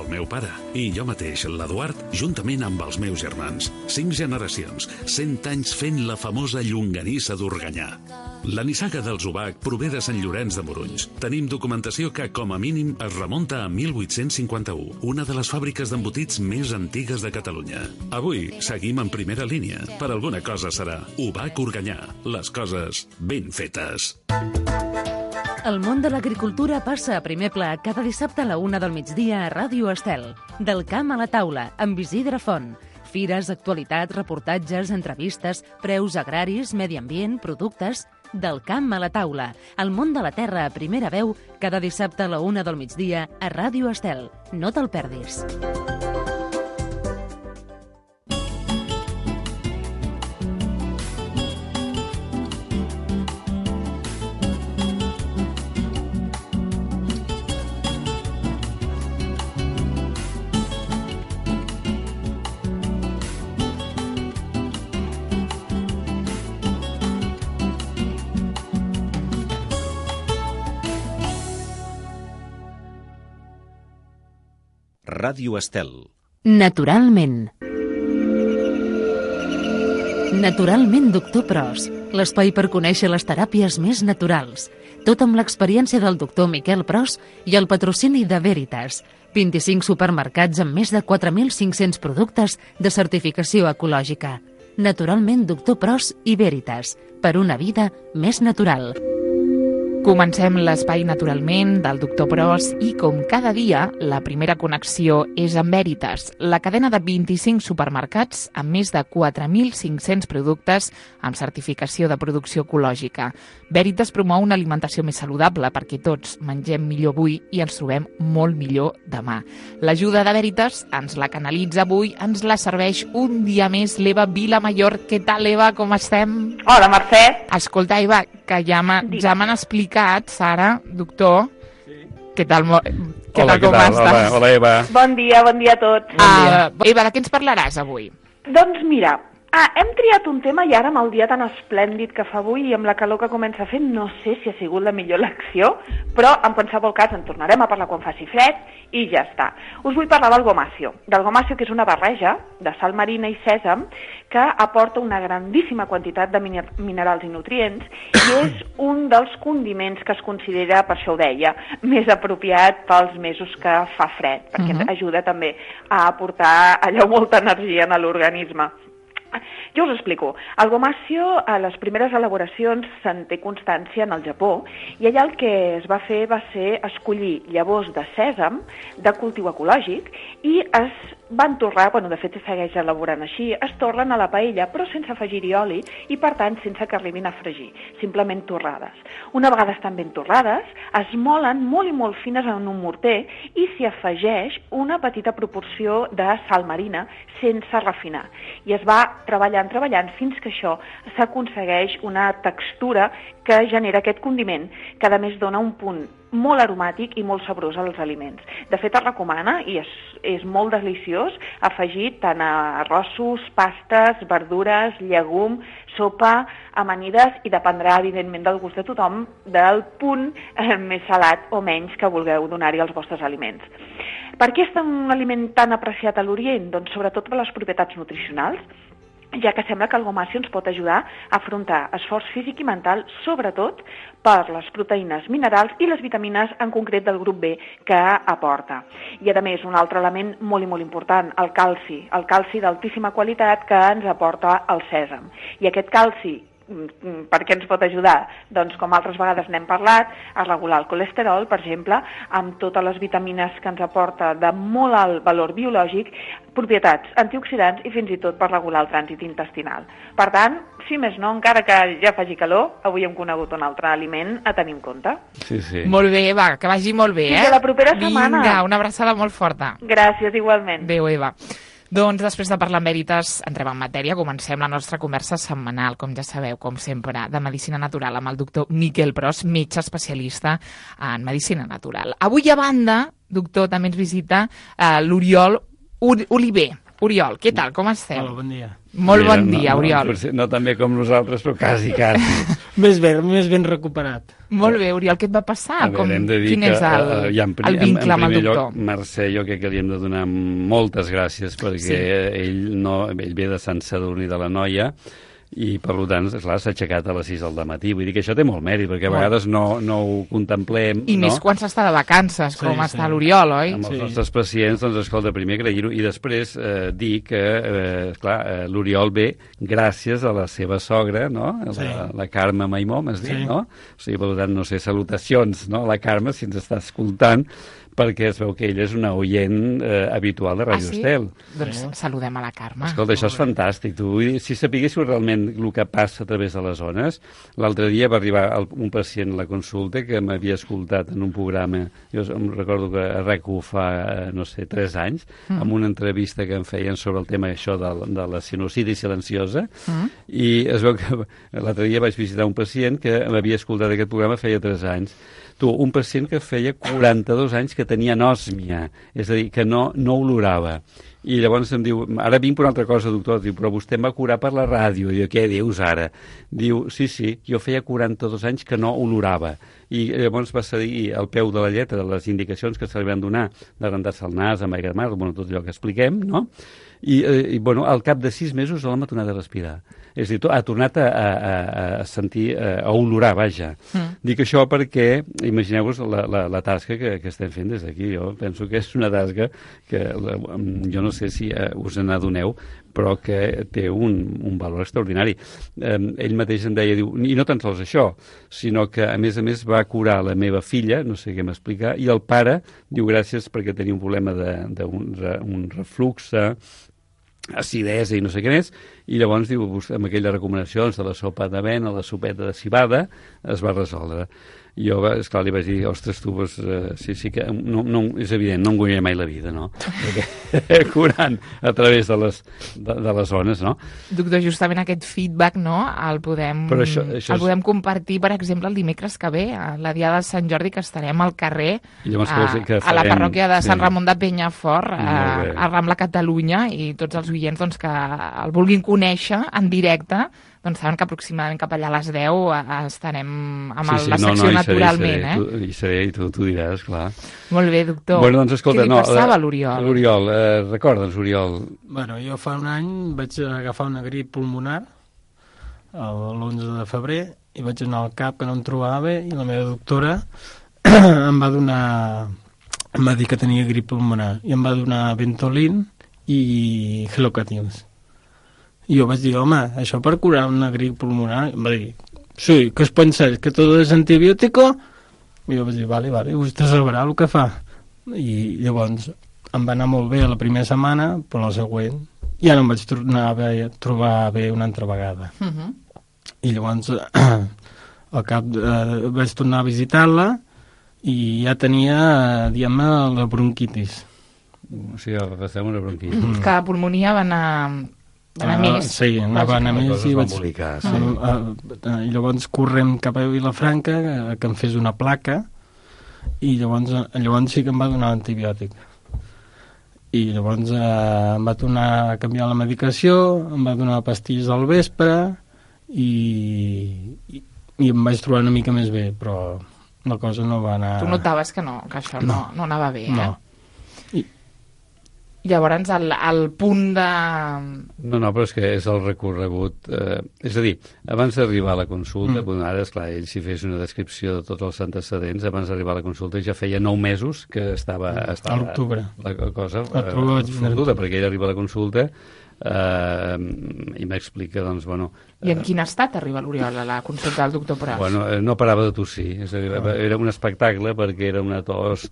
el meu pare, i jo mateix, l'Eduard, juntament amb els meus germans. 5 generacions, 100 anys fent la famosa llonganissa d'Organyà. La nissaga dels Ubac prové de Sant Llorenç de Morunys. Tenim documentació que, com a mínim, es remunta a 1851, una de les fàbriques d'embotits més antigues de Catalunya. Avui seguim en primera línia. Per alguna cosa serà Ubac Organyà. Les coses ben fetes. El món de l'agricultura passa a primer pla cada dissabte a la 1 del migdia a Ràdio Estel. Del camp a la taula, amb Isidre Font. Fires, actualitat, reportatges, entrevistes, preus agraris, medi ambient, productes... Del camp a la taula, el món de la terra a primera veu, cada dissabte a la 1 del migdia a Ràdio Estel. No te'l perdis. Ràdio Estel. Naturalment. Naturalment, doctor Pros. L'espai per conèixer les teràpies més naturals. Tot amb l'experiència del doctor Miquel Pros i el patrocini de Veritas. 25 supermercats amb més de 4.500 productes de certificació ecològica. Naturalment, doctor Pros i Veritas. Per una vida més natural. Comencem l'espai Naturalment del doctor Pros i, com cada dia, la primera connexió és amb Veritas, la cadena de 25 supermercats amb més de 4.500 productes amb certificació de producció ecològica. Veritas promou una alimentació més saludable perquè tots mengem millor avui i ens trobem molt millor demà. L'ajuda de Veritas ens la canalitza avui, ens la serveix un dia més l'Eva Vilamayor. Què tal, Eva? Com estem? Hola, Mercè. Escolta, Eva, que ja m'han explicat, Sara, doctor, sí. Què tal, com estàs? Hola, Eva. Bon dia a tots. Eva, de què ens parlaràs avui? Doncs mira, hem triat un tema i ara amb el dia tan esplèndid que fa avui i amb la calor que comença a fer, no sé si ha sigut la millor elecció, però en qualsevol cas en tornarem a parlar quan faci fred i ja està. Us vull parlar del gomacio, que és una barreja de sal marina i sèsam que aporta una grandíssima quantitat de minerals i nutrients i és un dels condiments que es considera, per això ho deia, més apropiat pels mesos que fa fred, perquè ajuda també a aportar allò molta energia en l'organisme. Jo us explico. El gomacio, a les primeres elaboracions se'n té constància en el Japó i allà el que es va fer va ser escollir llavors de sèsam de cultiu ecològic i es van torrar, de fet segueix elaborant així, es torren a la paella però sense afegir-hi oli i per tant sense que arribin a fregir, simplement torrades. Una vegada estan ben torrades, es molen molt i molt fines en un morter i s'hi afegeix una petita proporció de sal marina sense refinar i es va treballant fins que això s'aconsegueix una textura que genera aquest condiment, que a més dona un punt molt aromàtic i molt sabrós als aliments. De fet, es recomana, i és molt deliciós, afegit tant a arrossos, pastes, verdures, llegum, sopa, amanides, i dependrà, evidentment, del gust de tothom, del punt més salat o menys que vulgueu donar-hi als vostres aliments. Per què és un aliment tan apreciat a l'Orient? Doncs sobretot per les propietats nutricionals, ja que sembla que el gomacio ens pot ajudar a afrontar esforç físic i mental, sobretot per les proteïnes minerals i les vitamines en concret del grup B que aporta. I a més, un altre element molt i molt important, el calci d'altíssima qualitat que ens aporta el sèsam. I aquest calci, per què ens pot ajudar? Doncs, com altres vegades n'hem parlat, a regular el colesterol, per exemple, amb totes les vitamines que ens aporta de molt alt valor biològic, propietats antioxidants i fins i tot per regular el trànsit intestinal. Per tant, si més no, encara que ja faci calor, avui hem conegut un altre aliment a tenir en compte. Sí. Molt bé, Eva, que vagi molt bé, Fins a la propera setmana. Vinga, una abraçada molt forta. Gràcies, igualment. Adéu, Eva. Doncs després de parlar amb Veritas, entrem en matèria, comencem la nostra conversa setmanal, com ja sabeu, com sempre, de Medicina Natural amb el doctor Miquel Pros, metge especialista en Medicina Natural. Avui, a banda, doctor, també ens visita l'Oriol Oliver. Oriol, què tal? Com esteu? Hola, bon dia. Molt bon dia, Oriol. No tan bé com nosaltres, però quasi. Més ben recuperat. Molt bé, Oriol, què et va passar? Hem de dir Quin és el vincle amb el doctor? Mercè, jo crec que li hem de donar moltes gràcies perquè ell ve de Sant Sadurní de l'Anoia i, per tant, esclar, s'ha aixecat a les 6 del matí. Vull dir que això té molt mèrit, perquè a vegades no ho contemplem. I més quan s'està de vacances, com està l'Oriol, oi? Amb els nostres pacients, doncs, escolta, primer agrair-ho i després dir que, esclar, l'Oriol ve gràcies a la seva sogra, no? La Carme Maimó, m'has dit, no? O sigui, per tant, no sé, salutacions, no? A la Carme, si ens està escoltant, perquè es veu que ella és una oient habitual de Ràdio Estel. Doncs saludem a la Carme. Escolta, això és fantàstic. Si sapiguéssiu realment el que passa a través de les zones, l'altre dia va arribar un pacient a la consulta que m'havia escoltat en un programa, jo em recordo que a RAC1 fa, no sé, 3 anys, amb una entrevista que em feien sobre el tema això de la sinusitis silenciosa, i es veu que l'altre dia vaig visitar un pacient que m'havia escoltat aquest programa feia 3 anys. Un pacient que feia 42 anys que tenia anòsmia, és a dir, que no olorava. I llavors em diu, ara vinc per una altra cosa, doctor, diu, però vostè em va curar per la ràdio. I jo, què dius ara? Diu, sí, jo feia 42 anys que no olorava. I llavors va cedir al peu de la lletra de les indicacions que se li van donar de rentar-se el nas, amb aigua de mar, tot allò que expliquem, no? I al cap de 6 mesos l'home ha tornat a respirar. És a dir, ha tornat a sentir, a olorar, vaja. Dic això perquè, imagineu-vos la tasca que estem fent des d'aquí. Jo penso que és una tasca que, jo no sé si us n'adoneu, però que té un valor extraordinari. Ell mateix em deia, diu, i no tan sols això, sinó que a més va curar la meva filla, no sé què m'explicar, i el pare diu gràcies perquè tenia un problema d'un reflux, acidesa i no sé què més, i llavors diu, amb aquelles recomanacions de la sopa d'avena, la sopeta de cibada, es va resoldre. I jo, esclar, li vaig dir, ostres, tu, sí que no, és evident, no em guanyaré mai la vida, no? Perquè curant a través de les zones, no? Doctor, justament aquest feedback, no?, el podem compartir, per exemple, el dimecres que ve, a la Diada de Sant Jordi, que estarem al carrer, a la parròquia de Sant Ramon de Penyafort, a Rambla Catalunya, i tots els oients doncs, que el vulguin conèixer en directe, doncs saben que aproximadament cap allà a les 10 estarem amb la secció Naturalment. Hi seré, i tu diràs, clar. Molt bé, doctor. Bueno, doncs, escolta, què li passava a l'Oriol? L'Oriol, recorda'ns, Oriol. Bueno, jo fa un any vaig agafar una grip pulmonar l'11 de febrer i vaig anar al CAP que no em trobava bé i la meva doctora em va dir que tenia grip pulmonar i em va donar Ventolin i Helocatils. I jo vaig dir, home, això per curar una grip pulmonar? Em va dir, sí, ¿qué os pensáis? ¿Que todo es antibiótico? I jo vaig dir, vale, vostè sabrà el que fa. I llavors em va anar molt bé la primera setmana, però la següent ja no em vaig trobar bé una altra vegada. I llavors al cap vaig tornar a visitar-la i ja tenia, diguem-ne, la bronquitis. O sigui, agafem una bronquitis. Que la pulmonia va anar més. Sí, anava a més i vaig... Sí. I llavors correm cap a Vilafranca que em fes una placa i llavors sí que em va donar l'antibiòtic. I llavors em va tornar a canviar la medicació, em va donar pastilles al vespre i em vaig trobar una mica més bé, però la cosa no va anar... Tu notaves que això no anava bé, eh? No. Llavors, el punt de... No, però és que és el recorregut... és a dir, abans d'arribar a la consulta, ara, esclar, ell si fes una descripció de tots els antecedents, abans d'arribar a la consulta ja feia 9 mesos que estava a l'octubre. La cosa fotuda, perquè ell arriba a la consulta i m'explica, doncs, bueno... I en quin estat arriba l'Oriol a la consulta del doctor Pros? Bueno, no parava de tossir, és a dir, era un espectacle perquè era una tos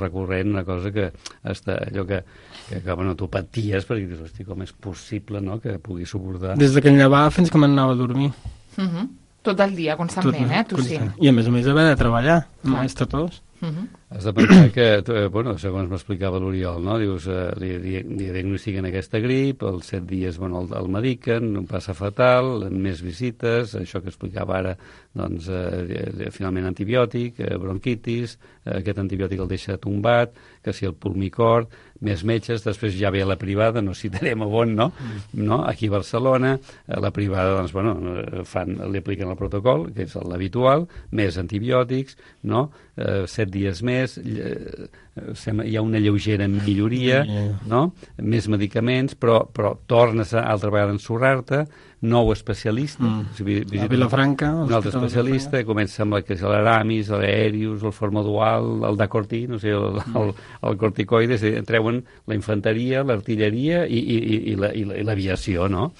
recurrent, una cosa que allò que bueno, tu paties perquè dius, hosti, com és possible, no?, que pugui suportar... Des que em llevava fins que m'anava a dormir. Tot el dia, constantment, tossint. I a més haver de treballar, amb aquesta tos. Has de pensar que, segons m'explicava l'Oriol, no? Dius, li diagnostiquen aquesta grip, als 7 dies el mediquen, no passa fatal, més visites, això que explicava ara, doncs, finalment antibiòtic, bronquitis, aquest antibiòtic el deixa tombat, que si el pulmicort, més metges, després ja ve a la privada, no citarem on, no? Aquí a Barcelona, la privada, doncs, li apliquen el protocol, que és l'habitual, més antibiòtics, no? 7 dies més, hi ha una lleugera milloria, no? Més medicaments, però tornes altra vegada a ensorrar-te, nou especialista, a Vilafranca, un altre especialista, comença amb l'Aramis, l'Aerius, el Formodual, el Dacortí, no sé, el corticoides, treuen la infanteria, l'artilleria i l'aviació, no?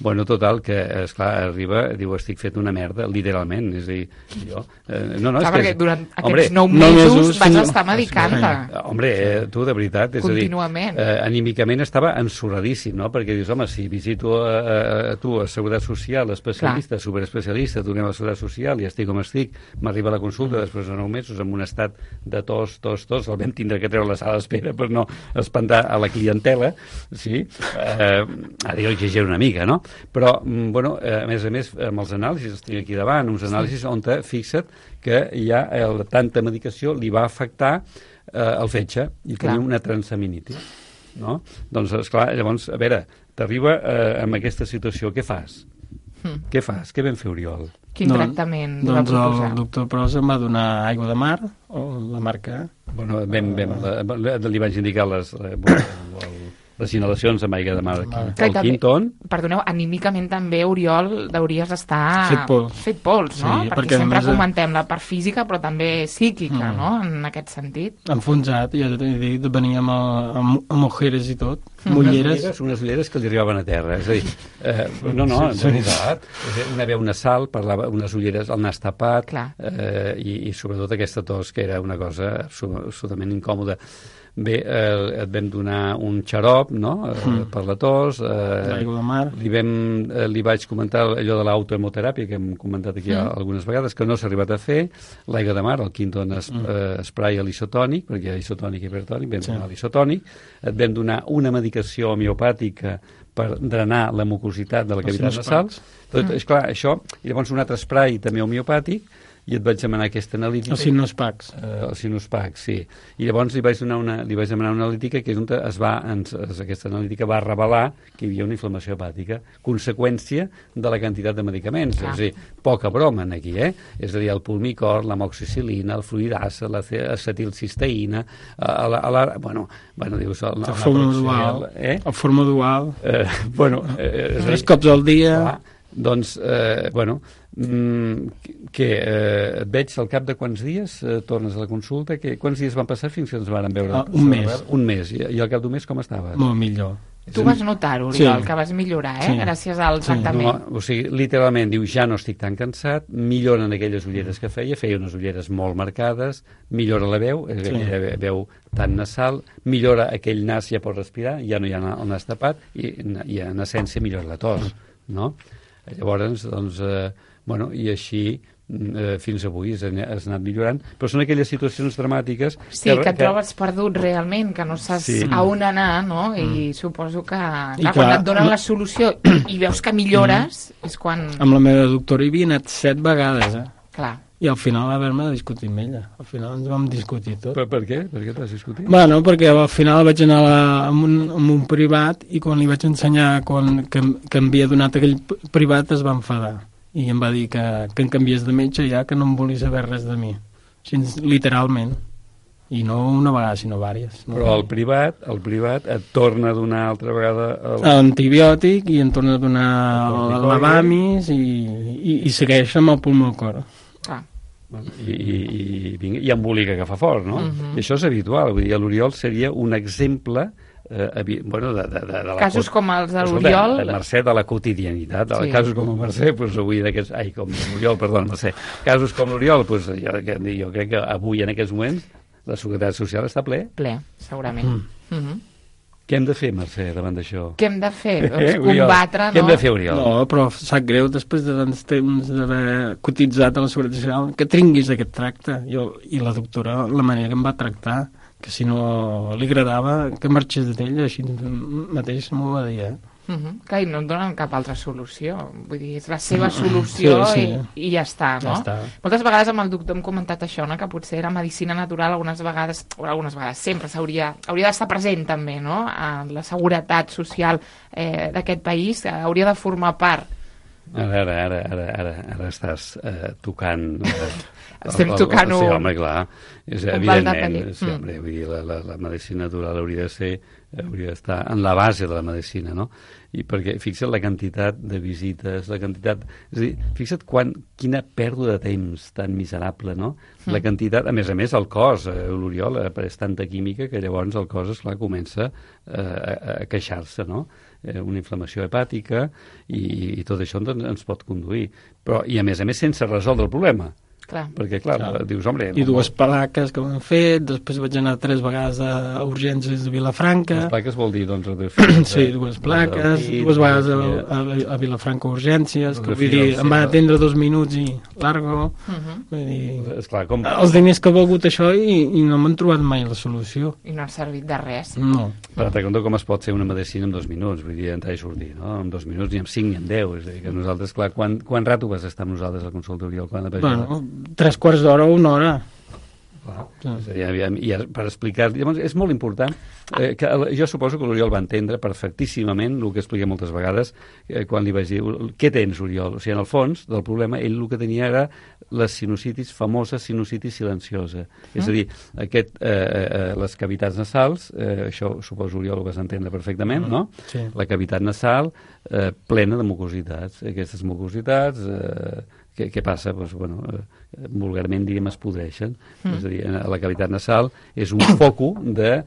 Bueno, total, que, esclar, arriba, diu, estic fet una merda, literalment, és a dir, jo... Clar, perquè durant aquests 9 mesos vas estar medicant-te. Hombre, tu, de veritat, és contínuament. A dir, anímicament estava ensorradíssim, no? Perquè dius, home, si visito tu a Seguretat Social, especialista, superespecialista, tu anem a Seguretat Social i estic com estic, m'arriba la consulta després de 9 mesos amb un estat de tos, el vam tindre que treure a la sala d'espera per no espantar a la clientela, sí? Ara jo exagero una mica, no? Però, a més, amb els anàlisis, els tinc aquí davant, uns anàlisis on fixa't que ja tanta medicació li va afectar el fetge i tenia una transaminitis, no? Doncs, esclar, llavors, a veure, t'arriba amb aquesta situació, què fas? Què fas? Què vam fer, Oriol? Quin tractament li va proposar? Doncs el doctor Pros em va donar aigua de mar, o la marca... Li vaig indicar les inhalacions amb aigua de mar al Quinton. Perdoneu, anímicament també, Oriol, hauries estar fet pols, no? Sí, perquè sempre comentem la part física, però també psíquica, no? En aquest sentit. Enfonsat, ja t'he dit, venia amb ojeres i tot, mulleres. Unes ulleres que li arribaven a terra, és a dir, de veritat, una veu nasal, parlava unes ulleres al nas tapat, i sobretot aquesta tos, que era una cosa absolutament incòmoda. Bé, et vam donar un xarop, no?, per la tos. L'aigua de mar. Li vaig comentar allò de l'autohemoteràpia, que hem comentat aquí algunes vegades, que no s'ha arribat a fer. L'aigua de mar, el Quinton spray a l'isotònic, perquè hi ha isotònic i hipertònic, vam donar l'isotònic. Et vam donar una medicació homeopàtica per drenar la mucositat de la cavitat nasal. És clar, això, i llavors un altre spray també homeopàtic, i et vaig demanar aquesta analítica. El Sinuspax. El Sinuspax, sí. I llavors li vaig demanar una analítica que és on aquesta analítica va revelar que hi havia una inflamació hepàtica, conseqüència de la quantitat de medicaments. És a dir, poca broma aquí, És a dir, el pulmicort, l'amoxicil·lina, el fluidasa, l'acetilcisteïna, dius... El formodual. El formodual. 3 cops al dia... Doncs, que et veig al cap de quants dies tornes a la consulta, quants dies van passar fins que ens van veure? Un mes. Un mes, i al cap d'un mes com estaves? Molt millor. Tu vas notar, Oriol, que vas millorar, gràcies al tractament. O sigui, literalment, diu, ja no estic tan cansat, milloren aquelles ulleres que feia unes ulleres molt marcades, millora la veu, aquella veu tan nasal, millora aquell nas, ja pot respirar, ja no hi ha el nas tapat, i en essència millora la tos, no? Llavors, doncs, i així fins avui has anat millorant, però són aquelles situacions dramàtiques... Sí, que et trobes perdut realment, que no saps a on anar, no? I suposo que, quan et donen la solució i veus que millores, és quan... Amb la meva doctora hi havia anat 7 vegades, Clar. I al final va haver-me de discutir amb ella. Al final ens vam discutir tot. Per què? Per què t'has discutit? Bueno, perquè al final vaig anar amb un privat i quan li vaig ensenyar que em havia donat aquell privat es va enfadar. I em va dir que em canviés de metge ja, que no em volia saber res de mi. Així, literalment. I no una vegada, sinó diverses. No? Però el privat et torna a donar altra vegada... L'antibiòtic i em torna a donar el lavamis i segueix amb el pulmocor. I embolica que fa fort, no? I això és habitual, vull dir, l'Oriol seria un exemple de la... Casos com els de l'Oriol... Mercè, de la quotidianitat, casos com el Mercè, doncs avui d'aquests... Ai, com l'Oriol, perdó, Mercè. Casos com l'Oriol, doncs jo crec que avui, en aquests moments, la Seguretat Social està ple. Ple, segurament. Què hem de fer, Mercè, davant d'això? Què hem de fer? Doncs combatre, no? Què hem de fer, Oriol? No, però sap greu, després de tants temps d'haver cotitzat a la Seguretat Social, que tinguis aquest tracte. I la doctora, la manera que em va tractar, que si no li agradava, que marxés d'ella, així mateix m'ho va dir, Clar, i no et donen cap altra solució. Vull dir, és la seva solució sí. I ja està, no? Ja està. Moltes vegades amb el doctor hem comentat això, no? Que potser la medicina natural algunes vegades sempre hauria d'estar present també, no? La seguretat social d'aquest país hauria de formar part. Ara estàs tocant... Estem tocant Sí, home, clar. Evidentment, sí, home, vull dir, la medicina natural hauria d'estar en la base de la medicina, no? I perquè, fixa't la quantitat de visites, és a dir, fixa't quina pèrdua de temps tan miserable, no? La quantitat, a més, el cos, l'Oriol, és tanta química que llavors el cos, esclar, comença a queixar-se, no? Una inflamació hepàtica i tot això ens pot conduir. Però, i a més, sense resoldre el problema. Clar. Perquè, clar, dius, home... I dues plaques que m'han fet, després vaig anar 3 vegades a urgències de Vilafranca. Les plaques vol dir, doncs... Sí, dues plaques, 2 vegades a Vilafranca urgències, que vull dir, em van atendre 2 minuts i largo. Vull dir, esclar, com... Els diners que ha valgut això i no m'han trobat mai la solució. I no ha servit de res. No. Però te conto com es pot fer una medicina en 2 minuts, vull dir, entrar i sortir, no? En 2 minuts, ni en 5 ni en 10, és a dir, que nosaltres, clar, quan rato vas estar amb nosaltres al consultori? Bueno, 3/4 d'hora o 1 hora. I per explicar, llavors és molt important que jo suposo que l'Oriol va entendre perfectíssimament el que expliqué moltes vegades quan li vaig dir, què tens, Oriol? O sigui, en el fons del problema ell el que tenia era la sinusitis, famosa sinusitis silenciosa, és a dir, les cavitats nasals, això suposo, Oriol, ho vas entendre perfectament, no? Sí. La cavitat nasal plena de mucositats, aquestes mucositats què passa? Doncs, bueno, vulgarment, diguem, es podreixen. És a dir, la cavitat nasal és un foco de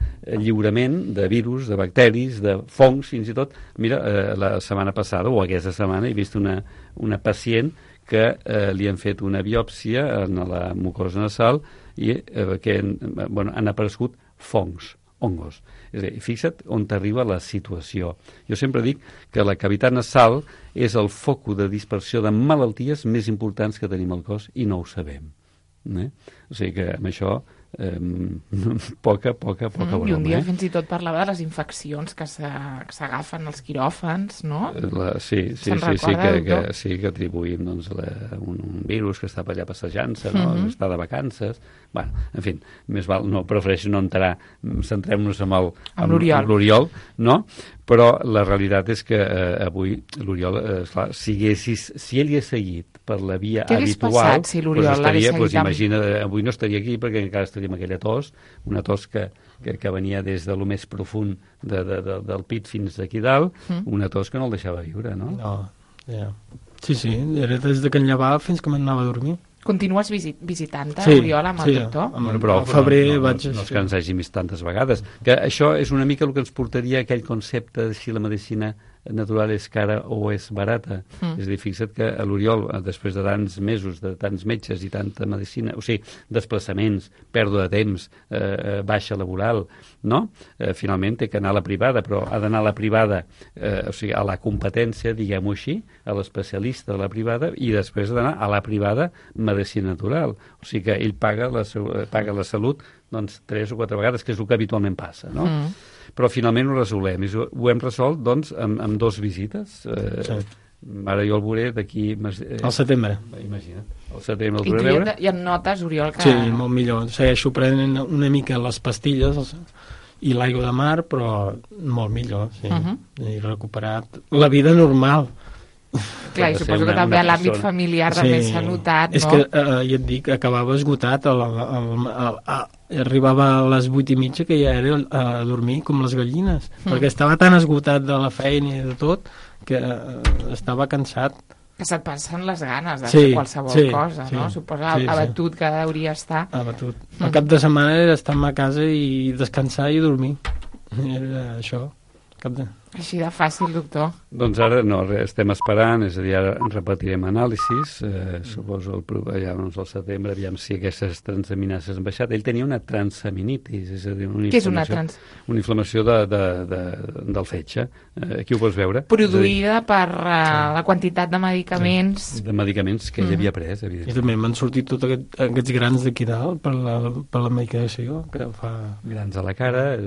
lliurament de virus, de bacteris, de fongs, fins i tot. Mira, la setmana passada, o aquesta setmana, he vist una pacient que li han fet una biòpsia en la mucosa nasal i que han aparegut fongs, hongos. És a dir, fixa't on t'arriba la situació. Jo sempre dic que la cavitat nasal és el foc de dispersió de malalties més importants que tenim al cos i no ho sabem. O sigui que amb això poca broma. I un dia fins i tot parlava de les infeccions que s'agafen als quiròfans, no? Sí, que atribuïm doncs, un virus que està per allà passejant-se, no? Està de vacances. Bueno, en fi, més val, prefereixo no entrar, centrem-nos amb l'Oriol, no? Però la realitat és que avui l'Oriol, si ell hi ha seguit per la via habitual... Què hagués passat si l'Oriol l'hagués seguit? Imagina, avui no estaria aquí perquè encara estaria amb aquella tos, una tos que venia des de lo més profund del pit fins aquí dalt, una tos que no el deixava viure, no? No, ja. Sí, era des que em llevava fins que m'anava a dormir. Continues visitant-te, Oriol, amb el doctor? Però al febrer vaig... No és que ens hàgim vist tantes vegades. Que això és una mica el que ens portaria a aquell concepte de si la medicina natural és cara o és barata. És a dir, fixa't que l'Oriol, després de tants mesos, de tants metges i tanta medicina, o sigui, desplaçaments, pèrdua de temps, baixa laboral, no? Finalment té que anar a la privada, però ha d'anar a la privada, o sigui, a la competència, diguem-ho així, a l'especialista de la privada, i després ha d'anar a la privada medicina natural. O sigui que ell paga la salut doncs 3 o 4 vegades, que és el que habitualment passa, no? Però finalment ho resolem. Ho hem resolt, doncs, amb 2 visites. Ara jo el veuré d'aquí... Al setembre. Imagina't. Al setembre el veuré. veure. I et notes, Oriol, que... Sí, molt millor. Segueixo prenent una mica les pastilles i l'aigua de mar, però molt millor, sí. He recuperat la vida normal. Clar, i suposo que també a l'àmbit familiar també s'ha notat, no? És que, ja et dic, acabava esgotat, arribava a les 8:30 que ja era a dormir com les gallines, perquè estava tan esgotat de la feina i de tot que estava cansat. Que se't passen les ganes de fer qualsevol cosa, no? Suposa abatut que hauria estar. Abatut. El cap de setmana era estar a casa i descansar i dormir. Era això. Així de fàcil, doctor. Doncs ara no, estem esperant, és a dir, ara repetirem anàlisis, suposo ja al setembre, aviam si aquestes transaminases han baixat. Ell tenia una transaminitis, és a dir, Què és una una inflamació del fetge. Aquí ho pots veure. Produïda per la quantitat de medicaments. De medicaments que ell havia pres, evidentment. I també m'han sortit tots aquests grans d'aquí dalt per la medicació que fa... Grans a la cara,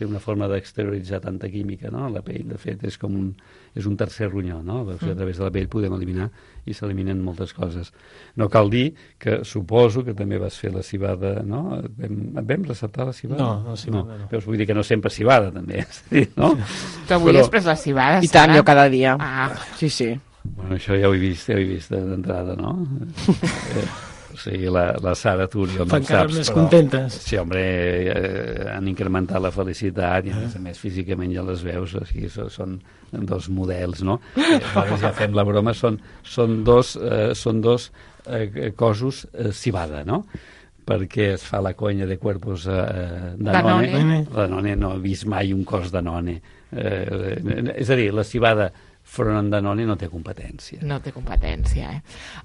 una forma d'exterioritzar tanta química, no?, la pell. De fet, és un tercer ronyó, no? A través de la pell podem eliminar i s'eliminen moltes coses. No cal dir que suposo que també vas fer la civada, no? Vam receptar la civada? No, la civada no. Però vull dir que no sempre civada, també, no? Tu avui has pres la civada, I tant, jo cada dia. Sí. Bueno, això ja ho he vist d'entrada, no? O sigui, la Sara, tu no fan cares més contentes. Sí, home, han incrementat la felicitat i a més físicament ja les veus, o sigui, són dos models, no? Ja fem la broma, són dos cosos civada, no? Perquè es fa la conya de cuerpos Danone. Danone no he vist mai un cos Danone. És a dir, la civada front en Danone no té competència. No té competència,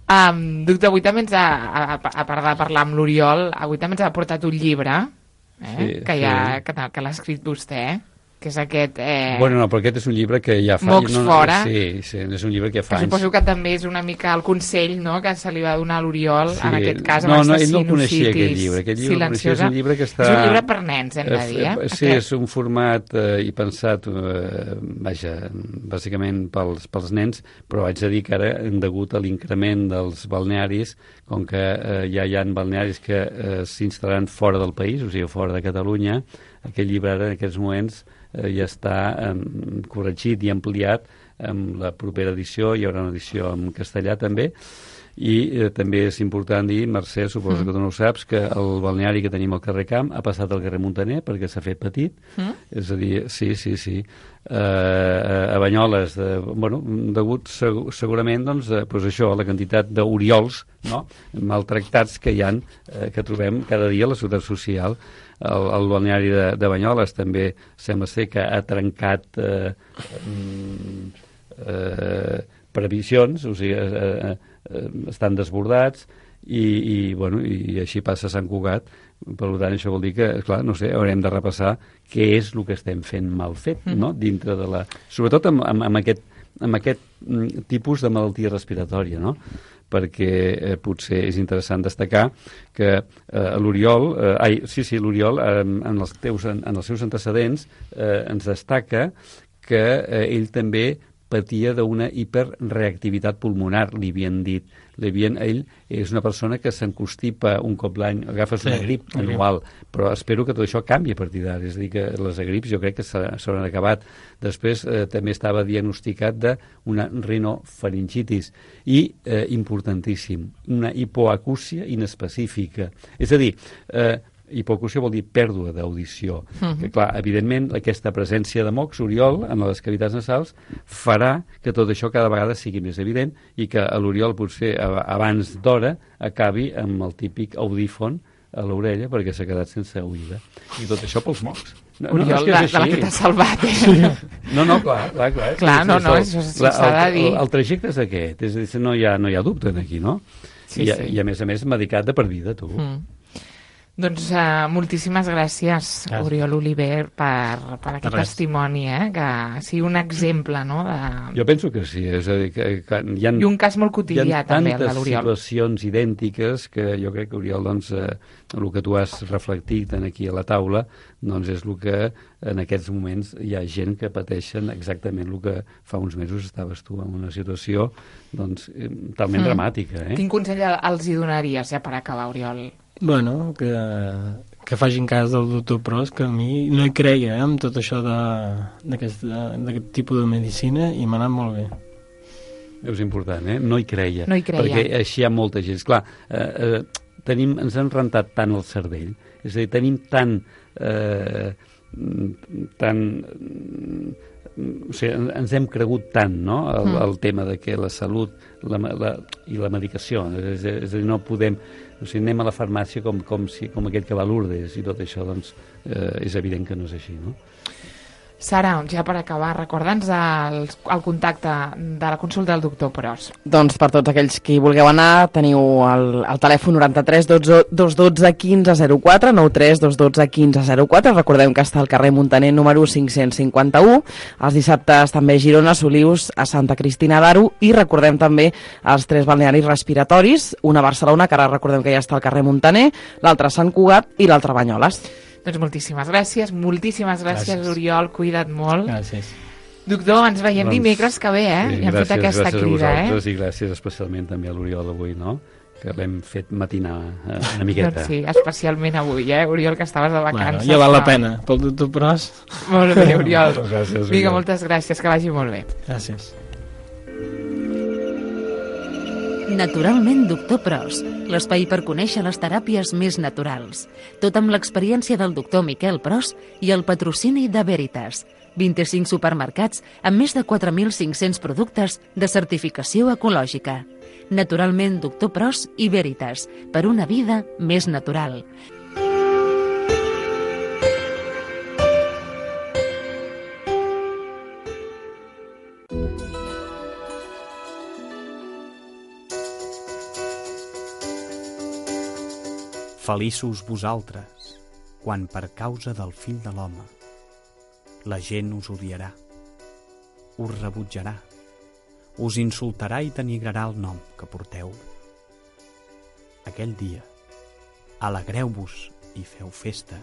Doctor, avui també a part de parlar amb l'Oriol, avui també ens ha portat un llibre, que l'ha escrit vostè, que és aquest... Bueno, no, però aquest és un llibre que ja fa... Mocs fora. Sí, és un llibre que fa anys. Suposo que també és una mica el consell, no?, que se li va donar a l'Oriol, en aquest cas, no, ell no coneixia aquest llibre. Aquest llibre coneixia, és un llibre que està... És un llibre per nens, hem de dir, Sí, és un format i pensat, bàsicament pels nens, però haig de dir que ara, degut a l'increment dels balnearis, com que ja hi ha balnearis que s'instal·laran fora del país, o sigui, fora de Catalunya, aquest llibre ara, en aquests moments, ja està corregit i ampliat amb la propera edició. Hi haurà una edició en castellà també, i també és important dir, Mercè, suposo que tu no ho saps, que el balneari que tenim al carrer Camp ha passat al carrer Muntaner perquè s'ha fet petit, és a dir, sí, a Banyoles, degut segurament doncs això, a la quantitat d'oriols, no?, maltractats que hi ha, que trobem cada dia a la ciutat social. El balneari de Banyoles també sembla ser que ha trencat previsions, o sigui, estan desbordats i així passa a Sant Cugat. Per tant, això vol dir que, clar, no sé, haurem de repassar què és el que estem fent mal fet, no?, dintre de la... Sobretot amb aquest tipus de malaltia respiratòria, no?, perquè potser és interessant destacar que l'Oriol, l'Oriol, en els seus antecedents, ens destaca que ell també patia d'una hiperreactivitat pulmonar, li havien dit. Ell és una persona que s'encostipa un cop l'any, agafes una grip anual, però espero que tot això canvi a partir d'ara, és a dir, que les grips jo crec que s'hauran acabat. Després també estava diagnosticat d'una rinofaringitis i, importantíssim, una hipoacúsia inespecífica. És a dir, hipoacúsia vol dir pèrdua d'audició. Que, clar, evidentment, aquesta presència de mocs, Oriol, en les cavitats nasals, farà que tot això cada vegada sigui més evident i que l'Oriol, potser abans d'hora, acabi amb el típic audífon a l'orella perquè s'ha quedat sense oïda. I tot això pels mocs. Oriol, de la que t'ha salvat, No, clar. Això s'ha de dir. El trajecte és aquest, és a dir, no hi ha dubte aquí, no? I a més, medicat de per vida, tu. Doncs moltíssimes gràcies, Oriol Oliver, per aquest testimoni, que sigui un exemple, no? Jo penso que sí, és a dir, que hi ha... I un cas molt quotidià, també, el de l'Oriol. Hi ha tantes situacions idèntiques que jo crec que, Oriol, doncs, el que tu has reflectit aquí a la taula, doncs és el que en aquests moments hi ha gent que pateixen exactament el que fa uns mesos estaves tu en una situació, doncs, talment dramàtica, Quin consell els hi donaries, ja per acabar, Oriol? Bueno, que facin cas del doctor Pros, que a mi no hi creia amb tot això d'aquest tipus de medicina i m'ha anat molt bé. És important, no hi creia. No hi creia. Perquè així hi ha molta gent. Clar, ens han rentat tant el cervell, és a dir, tenim tant... o sigui, ens hem cregut tant, no?, el tema de que la salut i la medicació, és a dir, no podem... O sigui, anem a la farmàcia com aquell que va a Lourdes i tot això, doncs, és evident que no és així, no? Sara, ja per acabar, recorda'ns el contacte de la consulta del doctor Pros. Doncs per tots aquells que hi vulgueu anar, teniu el telèfon 93 212 15 04, 93 212 15 04. Recordem que està al carrer Muntaner número 551. Els dissabtes també a Girona, Solius, a Santa Cristina d'Aro, i recordem també els 3 balnearis respiratoris, una a Barcelona, que ara recordem que ja està al carrer Muntaner, l'altre a Sant Cugat i l'altre a Banyoles. Doncs moltíssimes gràcies, Oriol, cuida't molt. Gràcies. Doctor, ens veiem dimecres que ve, Sí, i hem fet aquesta crida, I gràcies especialment també a l'Oriol avui, no?, que l'hem fet matinar una miqueta. Doncs sí, especialment avui, Oriol, que estaves de vacances. Ja val la pena, pel doctor Pros. Molt bé, Oriol. Gràcies, Oriol. Vinga, moltes gràcies, que vagi molt bé. Gràcies. Naturalment, doctor Pros, l'espai per conèixer les teràpies més naturals. Tot amb l'experiència del doctor Miquel Pros i el patrocini de Veritas. 25 supermercats amb més de 4.500 productes de certificació ecològica. Naturalment, doctor Pros i Veritas, per una vida més natural. Feliços vosaltres, quan per causa del fill de l'home la gent us odiarà, us rebutjarà, us insultarà i denigrarà el nom que porteu. Aquell dia, alegreu-vos i feu festa,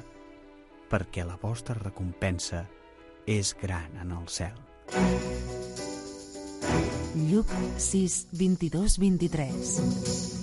perquè la vostra recompensa és gran en el cel. Lluc 6, 22, 23.